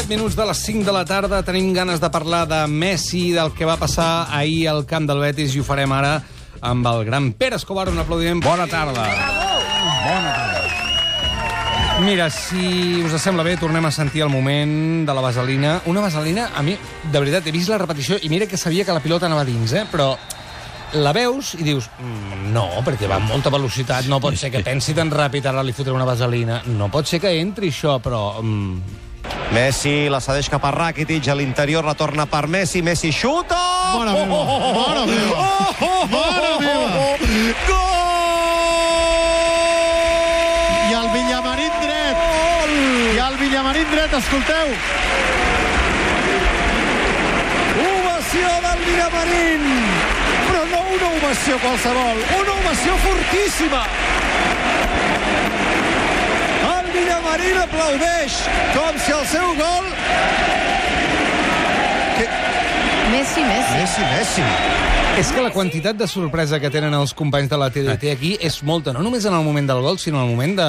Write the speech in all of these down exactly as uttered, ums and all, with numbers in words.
minuts de les cinc de la tarda. Tenim ganes de parlar de Messi, del que va passar ahir al camp del Betis, i ho farem ara amb el gran Pere Escobar. Un aplaudiment. Bona tarda. Bona tarda. Mira, si us sembla bé, tornem a sentir el moment de la vaselina. Una vaselina, a mi, de veritat, he vist la repetició i mira que sabia que la pilota anava dins, eh? Però la veus i dius, mm, no, perquè va amb molta velocitat, no pot ser que pensi tan ràpid, ara li fotré una vaselina. No pot ser que entri això, però... Mm... Messi la cedeix cap a Rakitic, a l'interior retorna per Messi, Messi xuta! Mare meva, mare meva, mare meva! Gol! I el Villamarín dret, i el Villamarín dret, escolteu! Ovació del Villamarín! Però no una ovació qualsevol, una ovació fortíssima! El Villamarín aplaudeix com si el seu gol... Que... Messi, Messi. Messi, Messi. És que la quantitat de sorpresa que tenen els companys de la T D T aquí és molta, no només en el moment del gol, sinó en el moment de...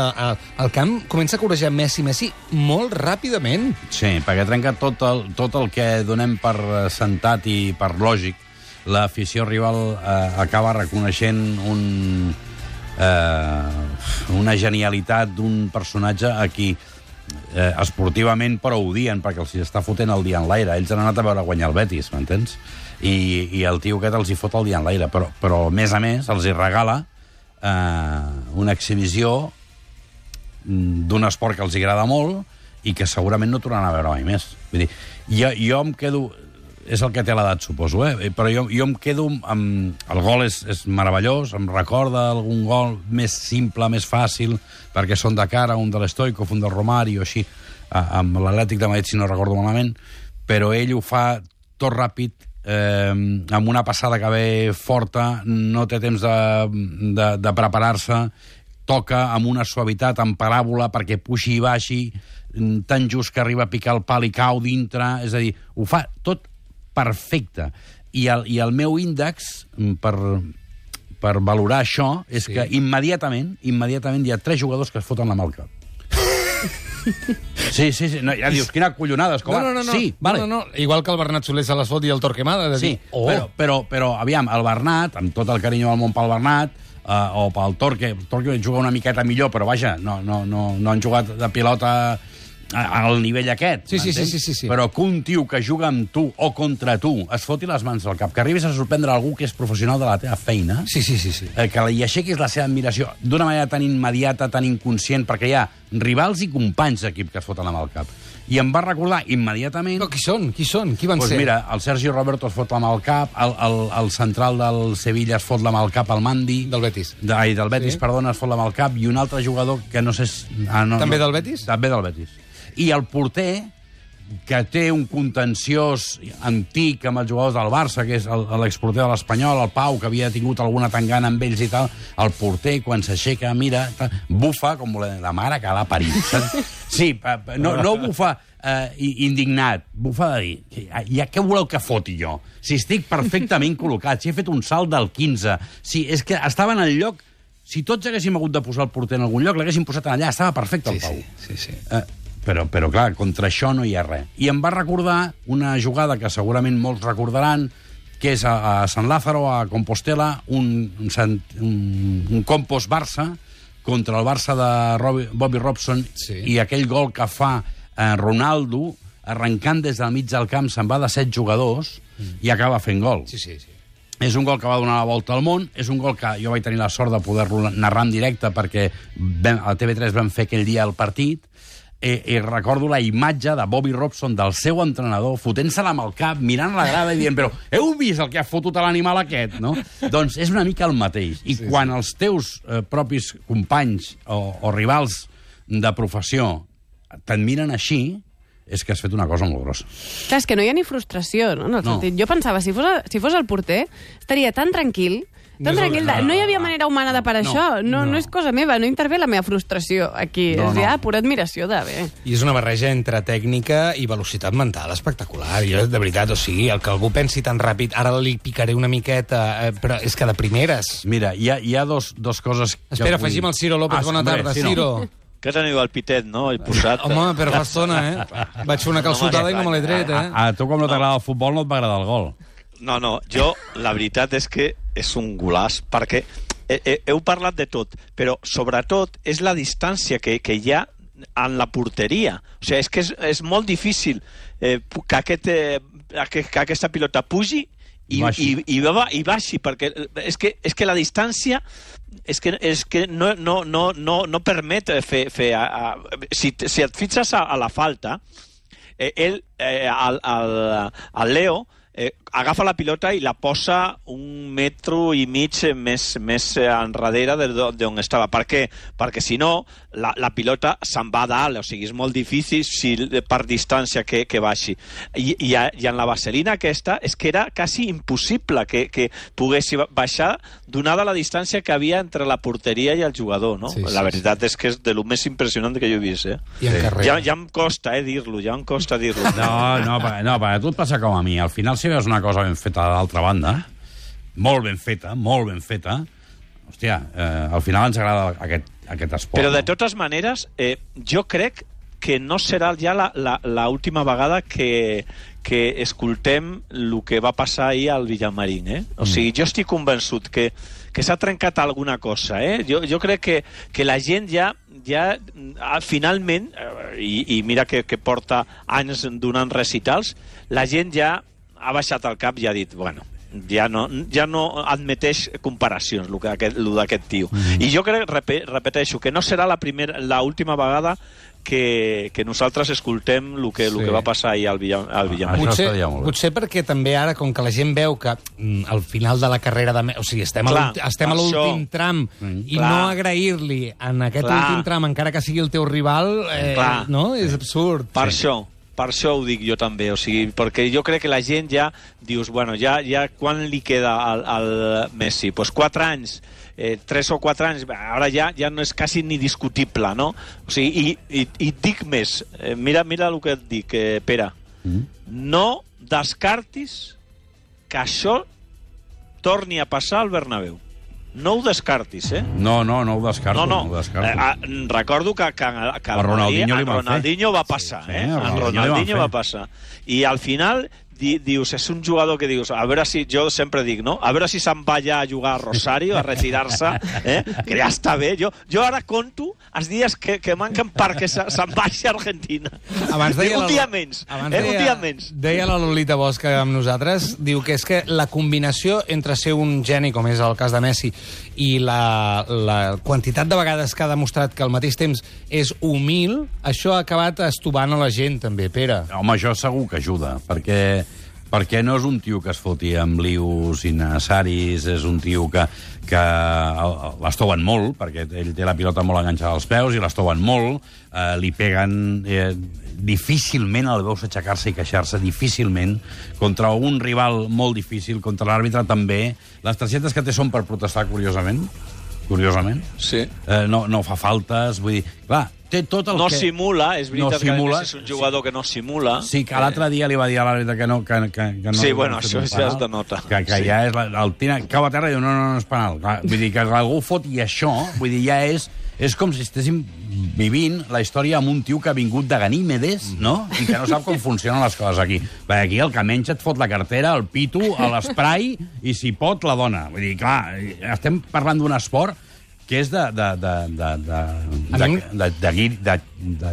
El camp comença a corejar Messi, Messi molt ràpidament. Sí, perquè trenca tot el, tot el que donem per sentat i per lògic. L'afició rival eh, acaba reconeixent un, eh, una genialitat d'un personatge a qui eh, esportivament però odien, perquè els està fotent el dia en l'aire. Ells han anat a veure guanyar el Betis, m'entens? I, i el tio aquest els hi fot el dia en l'aire, però, però a més a més els hi regala eh, una exhibició d'un esport que els agrada molt i que segurament no tornaran a veure mai més. Vull dir, jo, jo em quedo... És el que té l'edat, suposo, eh? Però jo, jo em quedo amb... El gol és, és meravellós, em recorda algun gol més simple, més fàcil, perquè són de cara, un de l'Stoikov, un del Romario, així, amb l'Atlètic de Madrid, si no recordo malament, però ell ho fa tot ràpid, eh, amb una passada que ve forta, no té temps de, de, de preparar-se, toca amb una suavitat, en paràbola, perquè puixi i baixi, tan just que arriba a picar el pal i cau dintre, és a dir, ho fa tot perfecte. I el, i el meu índex per, per valorar això és sí. que immediatament, immediatament hi ha tres jugadors que es foten la mà al cap. Sí, sí, sí. No, ja dius, quina collonada, Escobar. No, no, no. Sí, vale. no, no, no. Igual que el Bernat Soler se les fot i el Torquemada. De sí, dir, oh. però, però, però, aviam, el Bernat, amb tot el carinyo del món pel Bernat, uh, o pel Torque, el Torque juga una miqueta millor, però vaja, no, no, no, no han jugat de pilota al nivell aquest, sí, sí, sí, sí, sí, sí. Però que un tio que juga amb tu o contra tu es foti les mans al cap, que arribis a sorprendre algú que és professional de la teva feina, sí, sí, sí, sí. Eh, que li aixequis la seva admiració d'una manera tan immediata, tan inconscient, perquè hi ha rivals i companys d'equip que es foten amb el cap. I em va recordar immediatament... Però qui són? Qui són? Qui van pues ser? Mira, el Sergio Roberto es fot la mà al cap, el, el, el central del Sevilla es fot la mà al cap, al Mandi... Del Betis. De, ai, del Betis, sí. Perdona, es fot la mà al cap, i un altre jugador que no sé... Ah, no, També no, del Betis? També del Betis. I el porter, que té un contenciós antic amb els jugadors del Barça, que és l'exporter de l'Espanyol, el Pau, que havia tingut alguna tangana amb ells i tal, el porter, quan s'aixeca, mira, bufa, com la mare que l'ha parit. Sí, no, no bufa eh, indignat, bufa de dir, ja què voleu que foti jo? Si estic perfectament col·locat, si he fet un salt del quinze, si és que estava en el lloc... Si tots haguéssim hagut de posar el porter en algun lloc, l'haguéssim posat allà, estava perfecte el Pau. Sí, sí, sí. Eh, Però, però, clar, contra això no hi ha res. I em va recordar una jugada que segurament molts recordaran, que és a, a San Lázaro, a Compostela, un, un, un, un Compos Barça contra el Barça de Robbie, Bobby Robson, sí. I aquell gol que fa eh, Ronaldo, arrencant des del mig del camp, se'n va de set jugadors mm. i acaba fent gol. Sí, sí, sí. És un gol que va donar la volta al món, és un gol que jo vaig tenir la sort de poder-lo narrar en directe perquè vam, a T V tres vam fer aquell dia el partit. Eh, eh, recordo la imatge de Bobby Robson, del seu entrenador, fotent-se-la amb el cap, mirant la grada i dient, però heu vist el que ha fotut a l'animal aquest, no? Doncs és una mica el mateix. I sí, quan sí. els teus eh, propis companys o, o rivals de professió t'admiren així, és que has fet una cosa molt grossa. Clar, és que no hi ha ni frustració, no? En el no. sentit. Jo pensava, si fos, si fos el porter, estaria tan tranquil... Tan no, tranquil, de... no hi havia manera humana de parar no, això. No, no. no és cosa meva, no intervé la meva frustració aquí. No, és ja no. pura admiració de bé. I és una barreja entre tècnica i velocitat mental espectacular. Jo, de veritat, o sigui, el que algú pensi tan ràpid, ara li picaré una miqueta, eh, però és que de primeres... Mira, hi ha, hi ha dos, dos coses... Espera, vull... afegim el Ciro López. Ah, bona tarda, Ciro. Que teniu el pitet, no? El posat. Home, però fa estona, eh? Vaig fer una calçotada i no me l'he tret, eh? A, a tu, com no t'agrada el futbol, no et va agradar el gol. No, no, jo, la veritat és que és un golaç, perquè he, he, heu parlat de tot, però sobretot és la distància que, que hi ha en la porteria. O sigui, és que és, és molt difícil eh, que, aquest, eh, que, que aquesta pilota pugi i, i, i, i baixi, perquè és que, és que la distància és que, és que no, no, no, no, no permet fer... fer a, a, si, si et fixes a, a la falta, eh, ell, eh, el, el, el Leo, eh, agafa la pilota i la posa un metro i mig més, més enrere d'on estava. Per què? Perquè si no, la, la pilota se'n va dalt, o sigui, és molt difícil si, per distància que, que baixi. I, i, I en la vaselina aquesta és que era quasi impossible que, que pogués baixar donada la distància que havia entre la porteria i el jugador, no? Sí, sí, la veritat sí. És que és de lo més impressionant que jo he vist, eh? I en carrer. Ja, ja em costa, eh, dir-lo, ja em costa dir-lo. No, no, no, no, tu et passa com a mi. Al final, si veus una cosa ben feta d'altra banda, molt ben feta, molt ben feta, hòstia, eh, al final ens agrada aquest, aquest esport. Però de totes maneres, eh, jo crec que no serà ja l'última vegada que, que escoltem el que va passar ahir al Villamarín, eh? O sigui, jo estic convençut que, que s'ha trencat alguna cosa, eh? Jo, jo crec que, que la gent ja, ja finalment, i, i mira que, que porta anys donant recitals, la gent ja ha baixat el cap i ha dit, bueno, ja no, ja no admeteix comparacions, el d'aquest tio. Mm-hmm. I jo crec, repeteixo, que no serà la primera, l'última vegada que, que nosaltres escoltem el que, sí. el que va passar ahir al Villamarín. Potser, potser perquè també ara, com que la gent veu que mm, al final de la carrera de... O sigui, estem clar, a estem a l'últim tram mm, i clar. no agrair-li en aquest clar. últim tram, encara que sigui el teu rival, eh, no? És absurd. Per sí. això. Per això ho dic jo també, o sigui, perquè jo crec que la gent ja dius, bueno, ja, ja quan li queda al, al Messi? Pues quatre anys, eh, tres o quatre anys, ara ja, ja no és quasi ni discutible, no? O sigui, i, i, i dic més, eh, mira, mira el que et dic, eh, Pere, mm. no descartis que això torni a passar al Bernabéu. No ho descartis, eh? No, no, no ho descarto. No, no. no ho descarto. Eh, recordo que, que, que a Ronaldinho, a Ronaldinho va passar, sí, eh? Sí, a Ronaldinho va passar. I al final di, dius, és un jugador que dius, a veure si, jo sempre dic, no? A veure si se'n va ja a jugar a Rosario, a retirar-se, eh? Que ja està bé. Jo, jo ara conto els dies que, que manquen perquè se'n vagi a Argentina. Abans deia un la, dia menys. Abans eh? deia, un dia menys. Deia la Lolita Bosch amb nosaltres, diu que és que la combinació entre ser un geni, com és el cas de Messi, i la, la quantitat de vegades que ha demostrat que al mateix temps és humil, això ha acabat estovant a la gent, també, Pere. Home, això segur que ajuda, perquè, perquè no és un tio que es foti amb lius innecessaris, és un tio que, que l'estoven molt, perquè ell té la pilota molt enganxada als peus i l'estoven molt, eh, li peguen... Eh, difícilment el veus aixecar-se i queixar-se, difícilment, contra un rival molt difícil, contra l'àrbitre també. Les targetes que té són per protestar, curiosament, curiosament. Sí. Eh, no, no fa faltes, vull dir... Clar, té tot el no que... simula, és veritat no simula, que és un jugador sí. que no simula. Sí, que l'altre dia li va dir a l'àrbitre que no... Que, que, que no sí, bueno, això ja es denota. Que, que sí. ja és... La, el tira, cau a terra i diu, no, no, no és penal. Vull dir, que algú fot i això, vull dir, ja és... És com si estéssim vivint la història amb un tio que ha vingut de Ganímedes, no? I que no sap com funcionen les coses aquí. Perquè aquí el que menys et fot la cartera, el pito, l'esprai, i si pot, la dona. Vull dir, clar, estem parlant d'un esport que és de... de, de, de, de, de, de, de, de, de,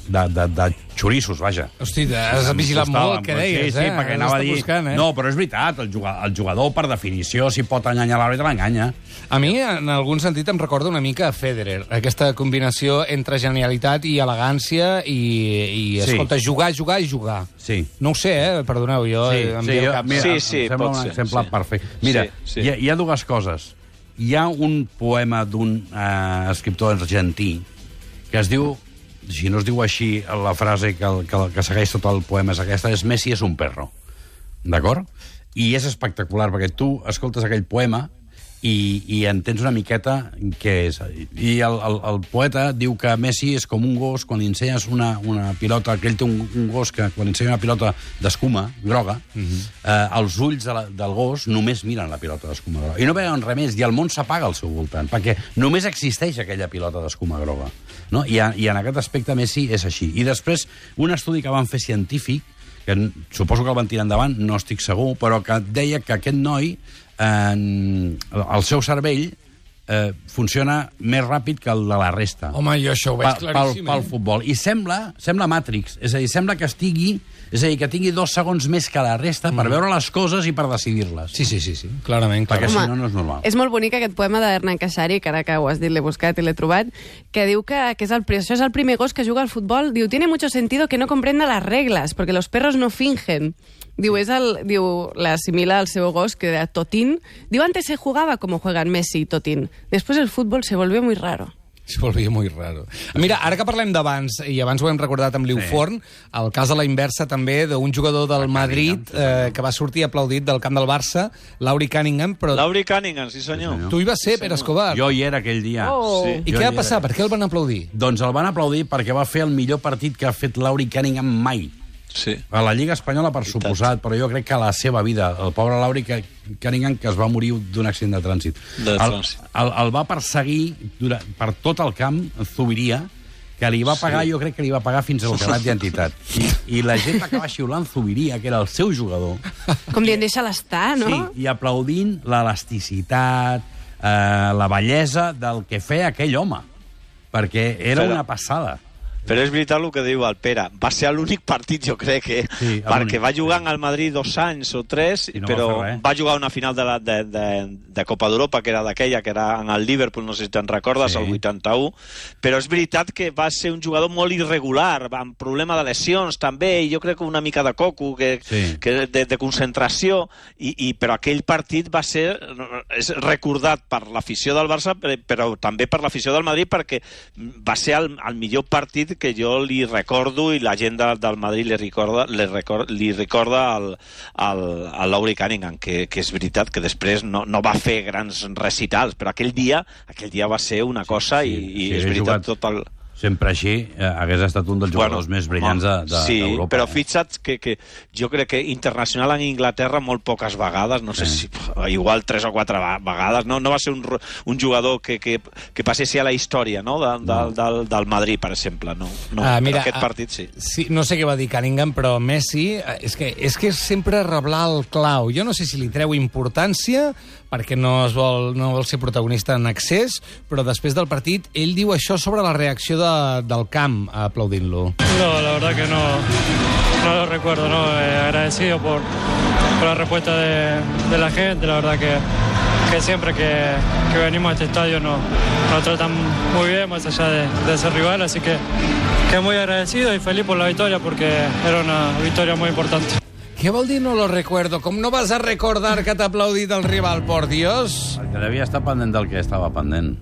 de, de, de xorissos, vaja. Hosti, has vigilat molt el que deies, sí, sí, eh? perquè anava a dir... Buscant, eh? No, però és veritat, el jugador, el jugador per definició, si pot enganyar l'àrbitre, l'enganya. A mi, en algun sentit, em recorda una mica a Federer, aquesta combinació entre genialitat i elegància i, i sí. escolta, jugar, jugar i jugar. Sí. No ho sé, eh? Perdoneu, jo... Sí, em sí, jo, cap... mira, sí, sí, em sembla un ser, exemple sí. perfecte. Mira, sí, sí. Hi, ha, hi ha dues coses. Hi ha un poema d'un eh, escriptor argentí que es diu, si no es diu així, la frase que, que, que segueix tot el poema és aquesta, és Messi és un perro. D'acord? I és espectacular, perquè tu escoltes aquell poema i, i entens una miqueta què és. I el, el, el poeta diu que Messi és com un gos quan li ensenyes una, una pilota, que ell té un, un gos que quan li ensenya una pilota d'escuma groga, uh-huh. eh, els ulls de la, del gos només miren la pilota d'escuma groga. I no veuen res més, i el món s'apaga al seu voltant, perquè només existeix aquella pilota d'escuma groga. No? I, a, I en aquest aspecte Messi és així. I després, un estudi que van fer científic, que suposo que el van tirar endavant, no estic segur, però que deia que aquest noi en el seu cervell eh, funciona més ràpid que el de la resta. Home, jo això ho veig claríssim. Pel, pel futbol. I sembla, sembla Matrix, és a dir, sembla que estigui, és a dir, que tingui dos segons més que la resta mm. per veure les coses i per decidir-les. Sí, sí, sí, sí, clarament. Perquè clarament. si no, no és normal. És molt bonic aquest poema d'Hernán Cassari, que ara que ho has dit, l'he buscat i l'he trobat, que diu que, que és el, això és el primer gos que juga al futbol. Diu, tiene mucho sentido que no comprenda las reglas, porque los perros no fingen. Diu, és el, diu, l'assimila al seu gos, que era Totín. Diu, antes se jugaba como juegan Messi y Totín. Después el fútbol se volvió muy raro. Se volvia muy raro. Mira, ara que parlem d'abans, i abans ho hem recordat amb Liu sí. Forn, el cas a la inversa també d'un jugador del Madrid eh, que va sortir aplaudit del camp del Barça, Lauri Cunningham. Però... Lauri Cunningham, sí senyor. Tu hi vas ser, sí, Pere Escobar. Jo hi era aquell dia. Oh. Sí. I jo què va passar? Per què el van aplaudir? Doncs el van aplaudir perquè va fer el millor partit que ha fet Lauri Cunningham mai. Sí. A la Lliga Espanyola, per suposat, però jo crec que a la seva vida, el pobre Lauri Cunningham, que es va morir d'un accident de trànsit, de el, trànsit. El, el va perseguir durant, per tot el camp, Zubiria, que li va pagar, sí. jo crec que li va pagar fins al carnet d'identitat. I, I la gent va acabar xiulant Zubiria, que era el seu jugador. Com dient, deixa-la estar, no? Sí, i aplaudint l'elasticitat, eh, la bellesa del que feia aquell home, perquè era Però... una passada. Però és veritat el que diu el Pere. Va ser l'únic partit, jo crec, eh? Sí, perquè va jugar al Madrid dos anys o tres, no però va, va jugar una final de, la, de, de, de Copa d'Europa, que era d'aquella, que era en el Liverpool, no sé si te'n recordes, sí. el vuitanta-u. Però és veritat que va ser un jugador molt irregular, amb problema de lesions també, i jo crec que una mica de coco, que, sí. que de, de concentració, i, i, però aquell partit va ser és recordat per l'afició del Barça, però també per l'afició del Madrid, perquè va ser el, el millor partit que jo li recordo i la gent de, del Madrid li recorda, li recorda, li recorda al, al, al Lauri Cunningham, que, que és veritat que després no, no va fer grans recitals, però aquell dia aquell dia va ser una cosa sí, sí, i, i sí, és veritat jugat... tot el... Sempre així, eh, hagués estat un dels jugadors bueno, més brillants d'Europa. De, sí, d'Europa, però eh? fixa't que, que jo crec que internacional en Inglaterra molt poques vegades, no sé sí. si igual tres o quatre vegades, no, no va ser un, un jugador que, que, que passessi a la història, no? De, de, no. Del, del Madrid, per exemple. No, no. Ah, mira, aquest partit sí. sí. No sé què va dir Cunningham, però Messi és que, és que és sempre reblar el clau. Jo no sé si li treu importància perquè no, es vol, no vol ser protagonista en excés, però després del partit ell diu això sobre la reacció de, del camp aplaudint-lo. No, la verdad que no, no lo recuerdo, no, eh, agradecido por, por la respuesta de, de la gente, la verdad que, que siempre que, que venimos a este estadio nos, nos tratan muy bien, más allá de, de ser rival, así que, que muy agradecido y feliz por la victoria porque era una victoria muy importante. Què vol dir no lo recuerdo? Com no vas a recordar que t'ha aplaudit el rival, por Dios? Perquè devia estar pendent del que estava pendent.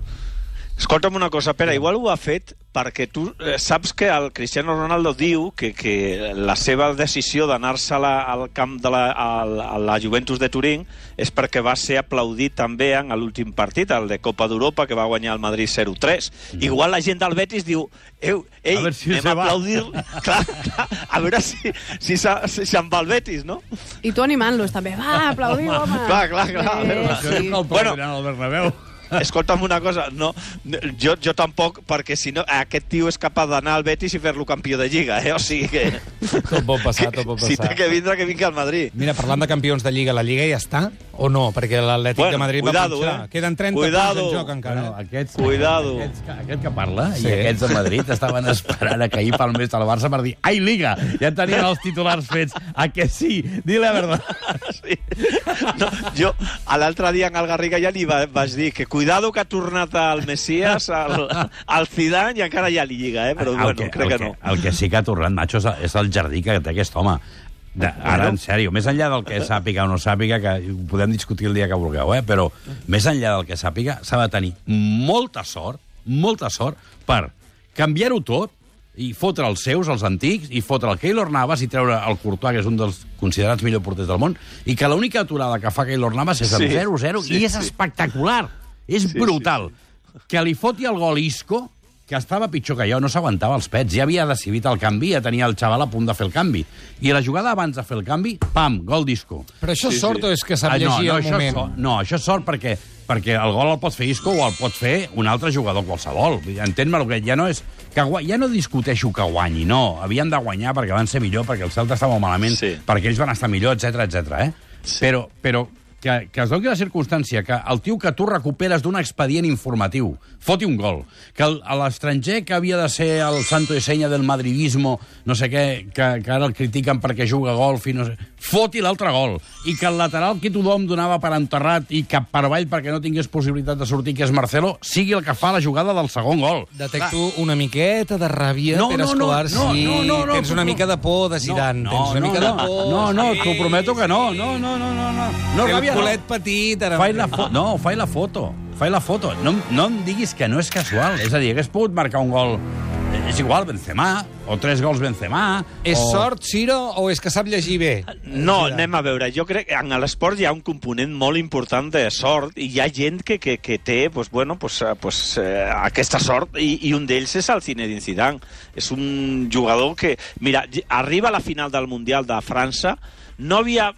Escolta'm una cosa, Pere, igual ho ha fet perquè tu eh, saps que el Cristiano Ronaldo diu que, que la seva decisió d'anar-se al camp de la, a, a la Juventus de Turín és perquè va ser aplaudit també en l'últim partit, el de Copa d'Europa, que va guanyar el Madrid zero tres. No. Igual la gent del Betis diu ei, ei a si anem a aplaudir... clar, clar, a veure si, si, si se'n va el Betis, no? I tu animant-los també. Va, aplaudim, home! Clar, clar, clar. Eh, sí. Bueno, al Bernabéu. Escolta'm una cosa, no, jo, jo tampoc, perquè si no, aquest tio és capaç d'anar al Betis i fer-lo campió de Lliga, eh? O sigui que... Tot pot passar, tot pot passar. Si té que vindre, que vingui al Madrid. Mira, parlant de campions de Lliga, la Lliga ja està o no? Perquè l'Atlètic bueno, de Madrid cuidado, va punxar. Eh? Queden trenta cuidado. punts en joc encara. Bueno, aquests, cuidado. Aquests, aquest que parla sí. I aquests de Madrid estaven esperant a que ahir palmés al Barça per dir ai, Liga! Ja tenien els titulars fets. A que sí? Dile la verdad. Sí. No, jo, l'altre dia en el Garriga ja li va, vaig dir que cuidado que ha tornat al Messias, al, al Zidane, i encara ja li lliga, eh? Però el bueno, que, crec el que no. El que sí que ha tornat, macho, és el jardí que té aquest home. De, ara, en sèrio, més enllà del que sàpiga o no sàpiga, que ho podem discutir el dia que vulgueu, eh? Però més enllà del que sàpiga, s'ha de tenir molta sort, molta sort, per canviar-ho tot i fotre els seus, els antics, i fotre el Keylor Navas i treure el Courtois, que és un dels considerats millors porters del món, i que l'única aturada que fa Keylor Navas és el Sí, zero zero, sí, i és sí. espectacular. És Sí, brutal. Que li foti el gol Isco, que estava pitjor que jo, no s'aguantava els pets, ja havia decidit el canvi, ja tenia el xaval a punt de fer el canvi. I la jugada abans de fer el canvi, pam, gol d'Isco. Però això és Sí, sort sí. o és que sap Ah, no, llegir no, el això moment? és sort, no, això és sort perquè, perquè el gol el pot fer Isco o el pot fer un altre jugador qualsevol. Entén-me el que ja no és... Que gua... Ja no discuteixo que guanyi, no. Havien de guanyar perquè van ser millor, perquè el Celta estava malament, Sí. perquè ells van estar millor, etc etc. eh? Sí. Però, però que, que es doni la circumstància que el tio que tu recuperes d'un expedient informatiu foti un gol, que el- a l'estranger que havia de ser el santo de senya del madridismo, no sé què, que, que ara el critiquen perquè juga a golf i no sé... Foti l'altre gol. I que el lateral que tothom donava per enterrat i cap per avall perquè no tingués possibilitat de sortir, que és Marcelo, sigui el que fa la jugada del segon gol. Detecto una miqueta de ràbia, No, Pere no, no, Escobar, no, sí. no, no, no, Tens una no. mica de por de Zidane, no, tens una no, mica no, de por. no, no, sí. t'ho prometo que no. No, no, no, no, no. No, El ràbia, no. culet petit, ara... Fai la fo no, fai la foto. Fai la foto. No, no em diguis que no és casual. És a dir, hagués pogut marcar un gol... És igual, Benzema, o tres gols Benzema... És o... sort, Ciro, o és que sap llegir bé? No, anem a veure. Jo crec que en l'esport hi ha un component molt important de sort i hi ha gent que, que, que té pues, bueno, pues, eh, pues, eh, aquesta sort i, i un d'ells és el Zinedine Zidane. És un jugador que... Mira, arriba a la final del Mundial de França, no havia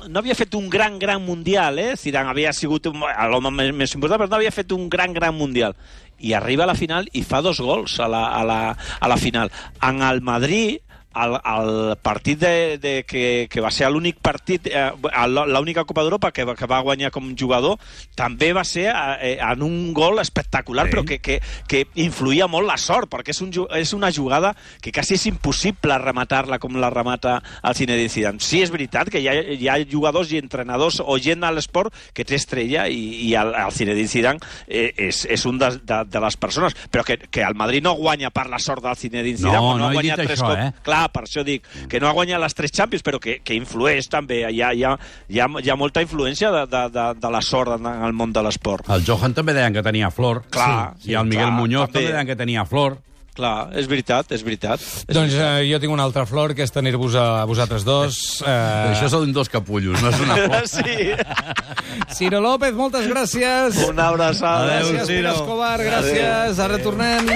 no havia fet un gran, gran Mundial, eh? Zidane havia sigut l'home més, més important, però no havia fet un gran, gran Mundial. I arriba a la final i fa dos gols a la, a la, a la final. En el Madrid, el, el partit de, de que, que va ser l'únic partit, eh, l'única Copa d'Europa que, que va guanyar com jugador, també va ser eh, en un gol espectacular, Sí. però que, que, que influïa molt la sort, perquè és, un, és una jugada que quasi és impossible rematar-la com la remata el Zinedine Zidane. Sí, és veritat que hi ha, hi ha jugadors i entrenadors o gent a l'esport que té estrella i, i el, el Zinedine Zidane eh, és, és un de, de, de les persones, però que, que el Madrid no guanya per la sort del Zinedine Zidane, No, no, no ha he guanyat dit tres això, cops. eh? Clar, per això dic que no ha guanyat les tres Champions, però que, que influeix també. Hi ha, hi ha, hi ha, hi ha molta influència de, de, de, de la sort en, en el món de l'esport. El Johan també deien que tenia flor. Clar, sí, I el Miguel clar, Muñoz també. també deien que tenia flor. Clar, és veritat, és veritat. És Doncs eh, jo tinc una altra flor, que és tenir-vos a vosaltres dos. Eh... Això són dos capullos, no és una flor. Sí. Ciro López, moltes gràcies. Una abraçada. Adéu, Gràcies, Pere Ciro. Escobar, gràcies. Ara tornem.